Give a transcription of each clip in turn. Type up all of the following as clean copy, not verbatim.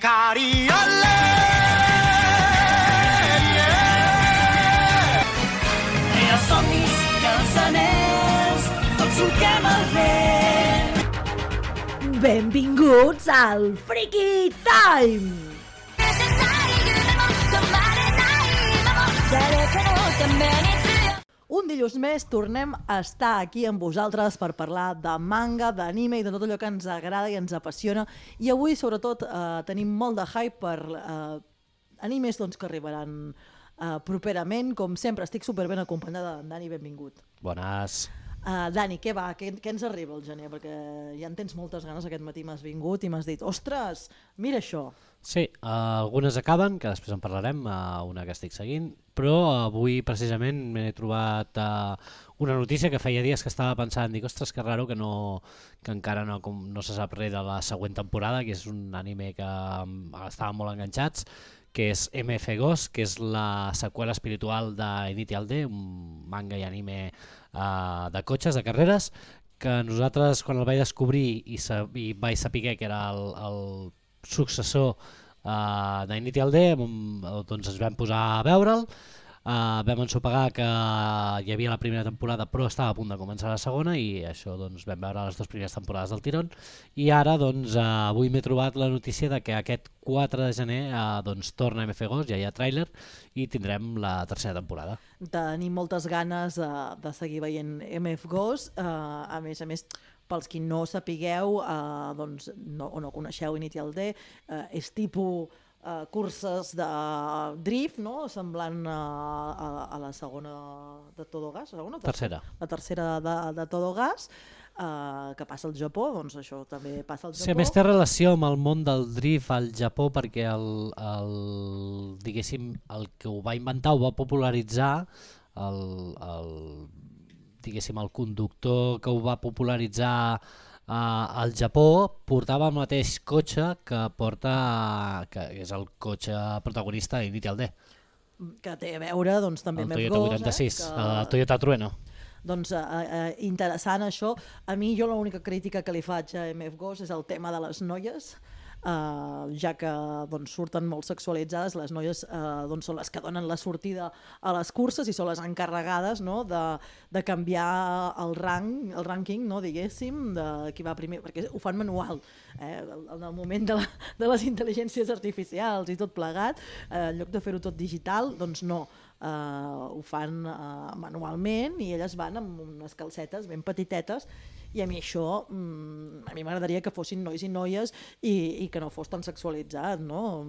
Cariole, I els somnis i els anells, tots solquem el vent. Benvinguts al Freaky Time! Un dilluns més tornem a estar aquí amb vosaltres per parlar de manga, d'anime i de tot allò que ens agrada i ens apassiona. I avui, sobretot, tenim molt de hype per animes que arribaran properament. Com sempre, estic superben acompanyada d'en Dani, benvingut. Bones. Dani, què va? Què ens arriba al gener? Perquè ja en tens moltes ganes, aquest matí m'has vingut i m'has dit, ostres, mira això. Sí, algunes acaben, que després en parlarem, una que estic seguint, però avui precisament m'he trobat una notícia que feia dies que estava pensant, dic, ostres, que raro que encara no se sap res de la següent temporada, que és un anime que estàvem molt enganxats, que és MF Ghost, que és la seqüela espiritual d'Initial D, un manga i anime de cotxes, de carreres, que nosaltres quan el vaig descobrir i vaig saber que era el successor d'Initial D, doncs ens vam posar a veure'l, vam ensopegar que hi havia la primera temporada però estava a punt de començar la segona i això doncs vam veure les dues primeres temporades del tirón i ara doncs avui m'he trobat la notícia de que aquest 4 de gener doncs torna MF Ghost, ja hi ha tràiler i tindrem la tercera temporada. Tenim moltes ganes de seguir veient MF Ghost, a més, pels qui no sapigueu o no coneixeu Initial D, és tipus curses de drift, no? Semblant a la segona de Todo Gas, Tercera. La tercera de Todo Gas, que passa al Japó, doncs això també passa al Japó. Sí, a més té relació amb el món del drift al Japó perquè diguéssim, el que ho va inventar, ho va popularitzar diguéssim, el conductor que ho va popularitzar al Japó portava el mateix cotxe que és el cotxe protagonista d'Initial D. Que té a veure doncs, també el amb Toyota 86, el Toyota Trueno. Doncs interessant això. A mi l'única crítica que li faig a MF Ghost és el tema de les noies, ja que surten molt sexualitzades, les noies són les que donen la sortida a les curses i són les encarregades de canviar el rànquing, diguéssim, de qui va primer, perquè ho fan manual, en el moment de les intel·ligències artificials i tot plegat, en lloc de fer-ho tot digital, doncs no, ho fan manualment i elles van amb unes calcetes ben petitetes i a mi això, a mi m'agradaria que fossin nois i noies i que no fos tan sexualitzat, no?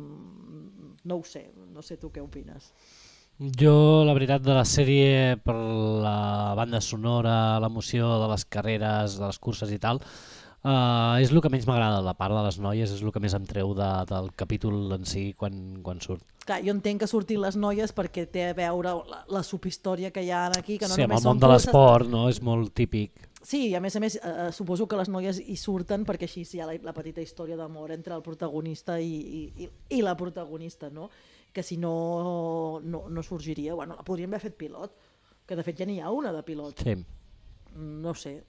No ho sé, no sé tu què opines. Jo, la veritat, de la sèrie, per la banda sonora, l'emoció de les carreres, de les curses i tal, és el que menys m'agrada, la part de les noies és el que més em treu del capítol en si quan surt. Clar, jo entenc que surtin les noies perquè té a veure la subhistòria que hi ha aquí, que no sí, només amb el món de l'esport, no? És molt típic. Sí, a més, suposo que les noies hi surten perquè així hi ha la petita història d'amor entre el protagonista i la protagonista, no? Que si no sorgiria, bueno, la podríem haver fet pilot, que de fet ja n'hi ha una de pilot. Sí. No sé,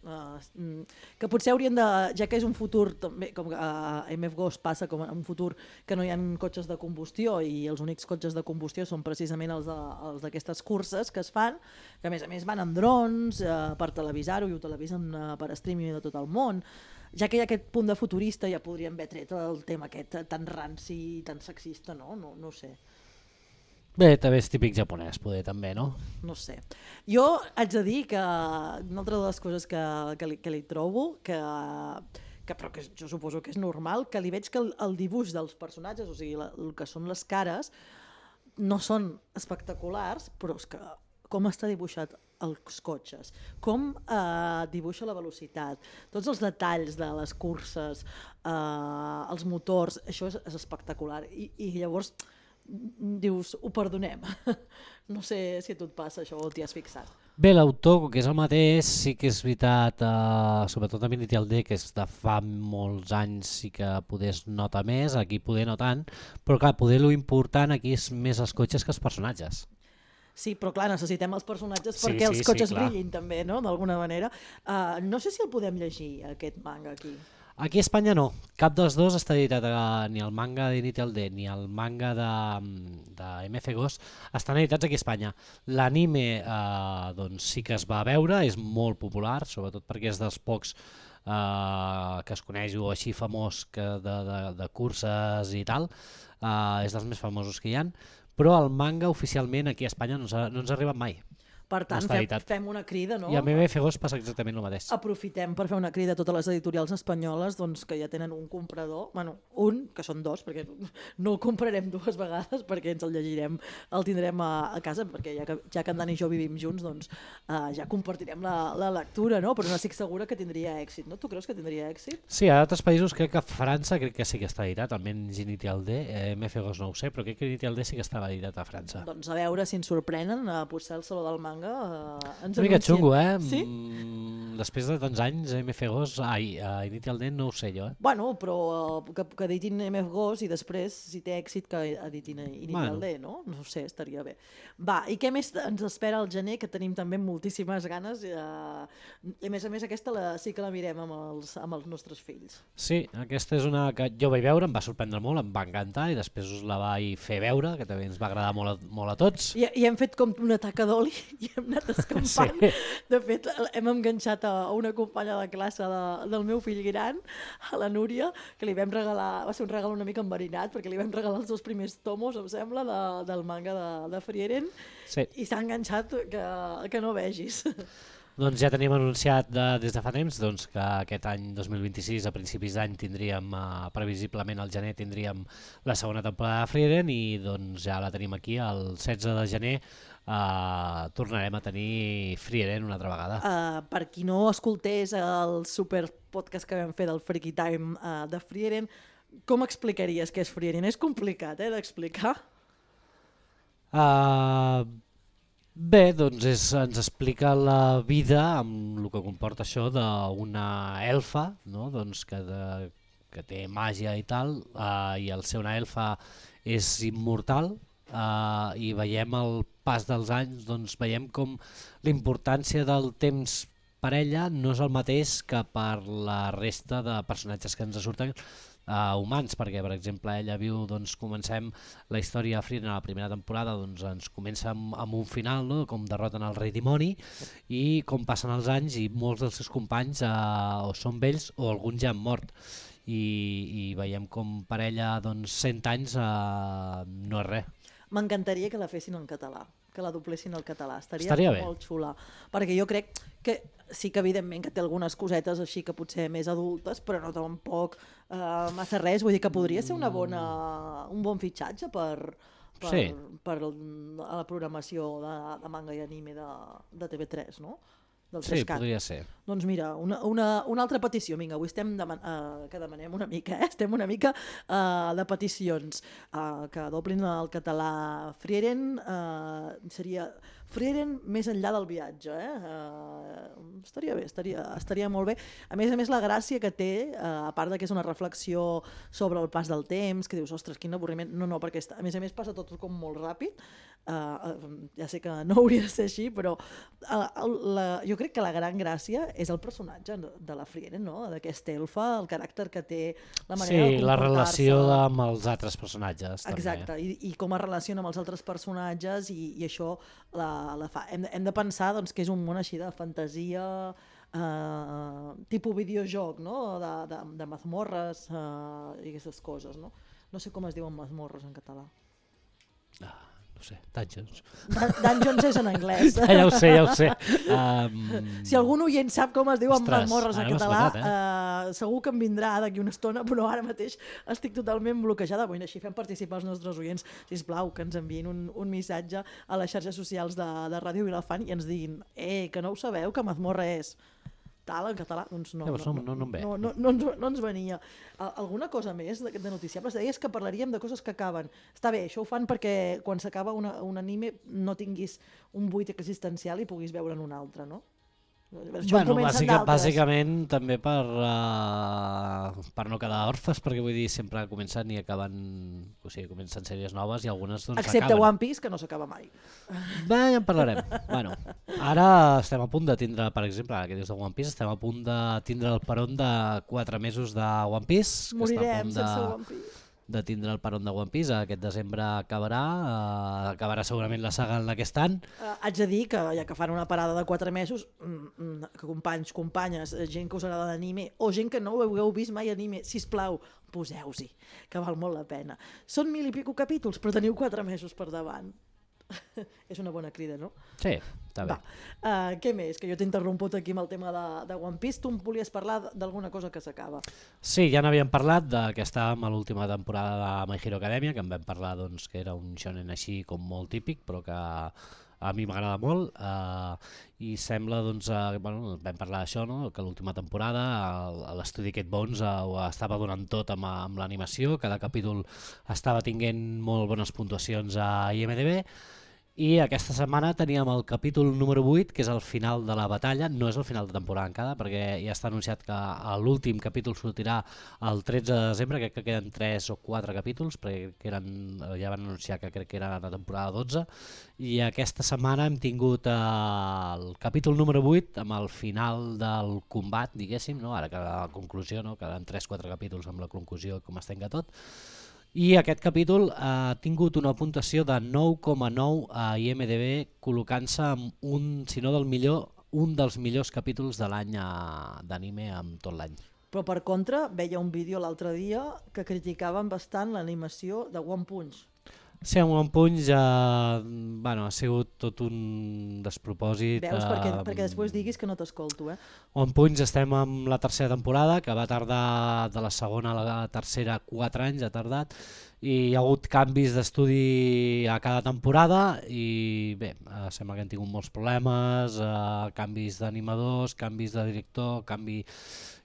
que potser haurien de, ja que és un futur també, com que a MF Ghost passa com un futur que no hi ha cotxes de combustió i els únics cotxes de combustió són precisament els d'aquestes curses que es fan, que a més van amb drons per televisar-ho i ho televisen per streaming de tot el món. Ja que hi ha aquest punt de futurista ja podríem haver tret el tema aquest tan ranci i tan sexista, no? No sé. Bé, també és típic japonès, poder també, no? No sé. Jo haig de dir que una altra de les coses que li trobo, però que jo suposo que és normal, que li veig que el dibuix dels personatges, o sigui, el que són les cares, no són espectaculars, però és que com està dibuixat els cotxes, com dibuixa la velocitat, tots els detalls de les curses, els motors, això és espectacular. I llavors dius, ho perdonem. No sé si a tu et passa això o t'hi has fixat. Bé, l'autor, que és el mateix, sí que és veritat, sobretot a Initial D, que és de fa molts anys i que poder es nota més, aquí poder no tant, però clar, poder lo important aquí és més els cotxes que els personatges. Sí, però clar, necessitem els personatges perquè els cotxes brillin també, no? D'alguna manera. No sé si el podem llegir, aquest manga aquí. Aquí a Espanya no, cap dels dos està editat, ni el manga d'Initial D ni el manga de MF Ghost estan editats aquí a Espanya. L'anime doncs sí que es va veure, és molt popular, sobretot perquè és dels pocs que es coneix o així famós de curses i tal, és dels més famosos que hi ha, però el manga oficialment aquí a Espanya no ens ha arribat mai. Per tant, fem una crida, no? I a MF Ghost passa exactament el mateix. Aprofitem per fer una crida a totes les editorials espanyoles doncs, que ja tenen un comprador, un, que són dos, perquè no el comprarem dues vegades perquè ens el llegirem, el tindrem a casa, perquè ja que en Dan i jo vivim junts, doncs ja compartirem la lectura, no? Però no estic segura que tindria èxit, no? Tu creus que tindria èxit? Sí, a d'altres països crec que a França crec que sí que està editat, almenys Initial D, MF Ghost no ho sé, però crec que Initial D sí que estava editat a França. Doncs a veure si ens sorprenen, potser el Saló del Manga ens una mica anuncien. xungo, Sí? Després de tants anys, MF Ghost, Initial D no ho sé jo, Bueno, però que editin MF Ghost i després, si té èxit, que editin Initial D, no? No ho sé, estaria bé. Va, i què més ens espera al gener, que tenim també moltíssimes ganes, i a més aquesta sí que la mirem amb els nostres fills. Sí, aquesta és una que jo vaig veure, em va sorprendre molt, em va encantar, i després us la vaig fer veure, que també ens va agradar molt a tots. I hem fet com una taca d'oli i hem anat escampant. Sí. De fet, hem enganxat a una companya de classe del meu fill gran, a la Núria, que li vam regalar, va ser un regal una mica enverinat, perquè li vam regalar els 2 primers tomos, em sembla, del manga de Frieren, sí. I s'ha enganxat que no vegis. Doncs ja tenim anunciat des de fa temps doncs, que aquest any 2026, a principis d'any, tindríem, previsiblement al gener, tindríem la segona temporada de Frieren i doncs ja la tenim aquí, el 16 de gener tornarem a tenir Frieren una altra vegada. Per qui no escoltés el super podcast que vam fer del Freaky Time de Frieren, com explicaries què és Frieren? És complicat d'explicar? Bé, doncs ens explica la vida amb el que comporta això d'una elfa, no? Doncs que té màgia i tal, i al ser una elfa és immortal, i veiem el pas dels anys, doncs veiem com la importància del temps per ella no és el mateix que per la resta de personatges que ens surten humans, perquè per exemple ella viu, doncs comencem la història de Frieren a la primera temporada, doncs ens comença amb un final, no? Com derroten el rei dimoni i com passen els anys i molts dels seus companys o són vells o alguns ja han mort i veiem com per ella doncs 100 anys no és res. M'encantaria que la fessin en català, que la doblessin al català, estaria molt xula, perquè jo crec que sí que evidentment que té algunes cosetes així que potser més adultes, però no tampoc massa res, vull dir que podria ser un bon fitxatge per la programació de manga i anime de TV3, no? Sí, podria ser. Doncs mira, una altra petició, vinga, avui que demanem una mica, estem una mica de peticions, que doblin el català Frieren, seria Frieren més enllà del viatge, estaria bé, estaria molt bé. A més, la gràcia que té, a part de que és una reflexió sobre el pas del temps, que dius, ostres, quin avorriment, no, perquè a més passa tot com molt ràpid, ja sé que no hauria de ser així, però jo crec que la gran gràcia és el personatge de la Frieren, no? D'aquesta elfa, el caràcter que té, la manera de comportar-se. Sí, la relació amb els altres personatges. Exacte, i com es relaciona amb els altres personatges i això la fa. Hem de pensar doncs, que és un món així de fantasia, tipus videojoc, no? De mazmorres i aquestes coses. No sé com es diuen mazmorres en català. No sé, Dungeons. Dungeons és en anglès. Ja ho sé. Si algun oient sap com es diuen mazmorres en català, segur que em vindrà d'aquí una estona, però ara mateix estic totalment bloquejada. Bueno, així fem participar els nostres oients, sisplau, que ens enviïn un missatge a les xarxes socials de Ràdio Vilafant i ens diguin que no ho sabeu, que mazmorra és tal en català, doncs no ens venia. Alguna cosa més de noticiables? Deies que parlaríem de coses que acaben. Està bé, això ho fan perquè quan s'acaba un anime no tinguis un buit existencial i puguis veure'n un altre, no? Bueno, bàsicament també per no quedar orfes, perquè vull dir, sempre comencen i acaben, o sigui, comencen sèries noves i algunes doncs excepte acaben. One Piece, que no s'acaba mai. Bé, ja en parlarem. Bueno, ara estem a punt de tindre, per exemple, ara que dius de One Piece, estem a punt de tindre el peron de 4 mesos de One Piece. Morirem sense One Piece. De tindre el peron de One Piece, aquest desembre acabarà segurament la saga d'aquest any. Haig de dir que ja que fan una parada de 4 mesos, que companys, companyes, gent que us agrada l'anime, o gent que no ho hagueu vist mai anime, sisplau, poseu-s'hi, que val molt la pena. Són 1000 i pico capítols, però teniu 4 mesos per davant. És una bona crida, no? Sí, està bé. Què més? Que jo t'he interromput aquí amb el tema de One Piece. Tu em volies parlar d'alguna cosa que s'acaba. Sí, ja n'havíem parlat que estàvem a l'última temporada de My Hero Academia, que en vam parlar doncs, que era un shonen així com molt típic, però que a mi m'agrada molt, i sembla, doncs, bueno, vam parlar d'això, no? Que l'última temporada l'estudi Kate Bones ho estava donant tot amb l'animació, cada capítol estava tinguent molt bones puntuacions a IMDb, i aquesta setmana teníem el capítol número 8, que és el final de la batalla. No és el final de temporada encara, perquè ja està anunciat que l'últim capítol sortirà el 13 de desembre, crec que queden 3 o 4 capítols, perquè ja van anunciar que crec que era la temporada 12, i aquesta setmana hem tingut el capítol número 8 amb el final del combat, diguéssim, no? Ara que la conclusió, no? Queden 3-4 capítols amb la conclusió, com es tenga tot. I aquest capítol ha tingut una puntuació de 9,9 a IMDb, col·locant-se amb si no del millor, un dels millors capítols de l'any d'anime amb tot l'any. Però per contra, veia un vídeo l'altre dia que criticaven bastant l'animació de One Punch. Sí, amb One Punch bueno, ha sigut tot un despropòsit. Veus? Perquè després diguis que no t'escolto. One Punch estem amb la tercera temporada, que va tardar de la segona a la tercera 4 anys, ha tardat, i hi ha hagut canvis d'estudi a cada temporada i bé, sembla que han tingut molts problemes, canvis d'animadors, canvis de director,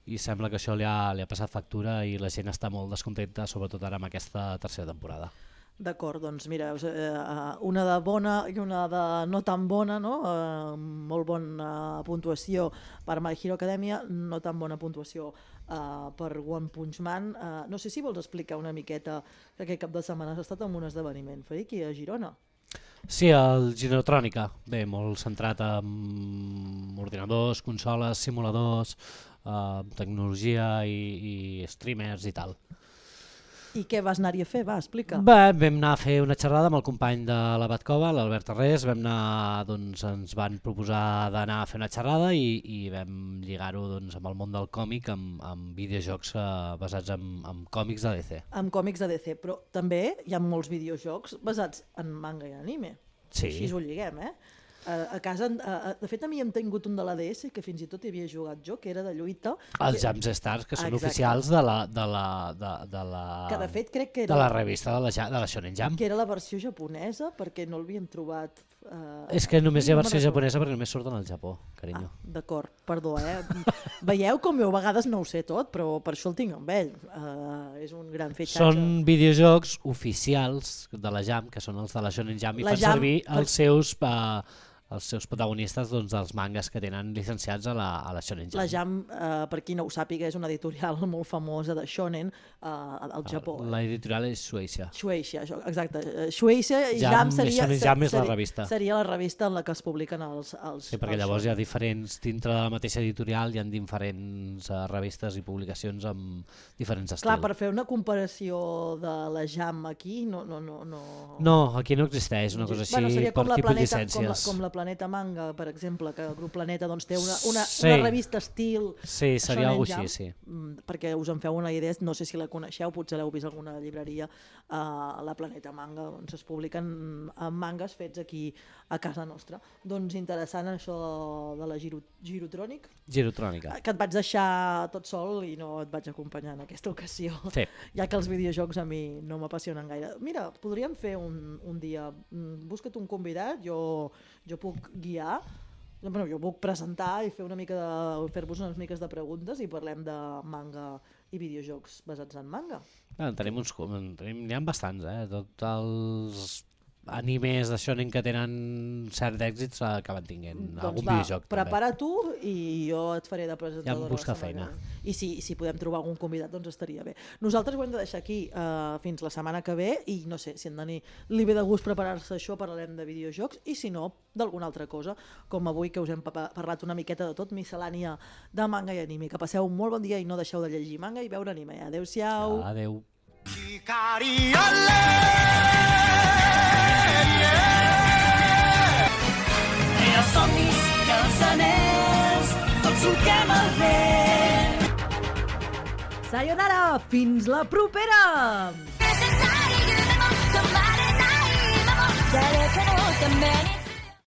i sembla que això li ha passat factura i la gent està molt descontenta, sobretot ara amb aquesta tercera temporada. D'acord, doncs mira, una de bona i una de no tan bona, no? Molt bona puntuació per My Hero Academia, no tan bona puntuació per One Punch Man. No sé si vols explicar una miqueta que aquest cap de setmana has estat en un esdeveniment, Friki, a Girona. Sí, el Girotrònica, bé, molt centrat en ordinadors, consoles, simuladors, tecnologia i streamers i tal. I què vas anar-hi a fer? Va, explica. Bé, vam anar a fer una xerrada amb el company de la Batcova, l'Albert Arrés, ens van proposar d'anar a fer una xerrada i vam lligar-ho doncs, amb el món del còmic, amb videojocs basats en còmics de DC. Amb còmics de DC, però també hi ha molts videojocs basats en manga i anime. Sí. Així ho lliguem, A casa, de fet, a mi hem tingut un de la DS que fins i tot hi havia jugat jo, que era de lluita. Els Jam Stars, que són oficials de la que de fet crec que era de la revista de la Shonen Jump. Que era la versió japonesa, perquè no l'havíem trobat. És que només hi ha versió japonesa perquè només surten al Japó, carinyo. D'acord, perdó, Veieu com jo a vegades no ho sé tot, però per això el tinc amb ell. És un gran fitxatge. Són videojocs oficials de la Jump, que són els de la Shonen Jump, i fan servir els seus protagonistes dels mangas que tenen llicenciats a la Shonen Jump. La Jump, per qui no ho sàpiga, és una editorial molt famosa de shonen al Japó. L'editorial és Shueisha. Shueisha, exacte. Shueisha i Jump seria la revista en la que es publiquen els sí, perquè llavors hi ha diferents, dintre de la mateixa editorial hi ha diferents revistes i publicacions amb diferents estils. Clar, per fer una comparació de la Jump aquí, no... No, aquí no existeix una cosa així per tipus de llicències. Com la Planeta Manga, per exemple, que el grup Planeta doncs, té una revista estil... Sí, seria alguna cosa així, sí. Perquè us en feu una idea, no sé si la coneixeu, potser l'heu vist a alguna llibreria, la Planeta Manga, doncs es publiquen mangas fets aquí a casa nostra. Doncs interessant això de la Girotrònica, que et vaig deixar tot sol i no et vaig acompanyar en aquesta ocasió, sí. Ja que els videojocs a mi no m'apassionen gaire. Mira, podríem fer un dia, busca't un convidat, jo puc guiar, jo puc presentar i fer-vos unes miques de preguntes i parlem de manga i videojocs basats en manga. N'hi ha bastants, tots els animes d'això que tenen cert èxit acaben tinguent algun videojoc. Prepara tu i jo et faré de presentadora. Ja em busca feina. I si podem trobar algun convidat, doncs estaria bé. Nosaltres ho hem de deixar aquí fins la setmana que ve i no sé, si en Dani li ve de gust preparar-se això, parlarem de videojocs i si no, d'alguna altra cosa, com avui que us hem parlat una miqueta de tot, miscel·lània de manga i anime. Que passeu un molt bon dia i no deixeu de llegir manga i veure anime. Adéu-siau. Adéu. Els somnis i els anells, tots solquem el vent. Sayonara! Fins la propera!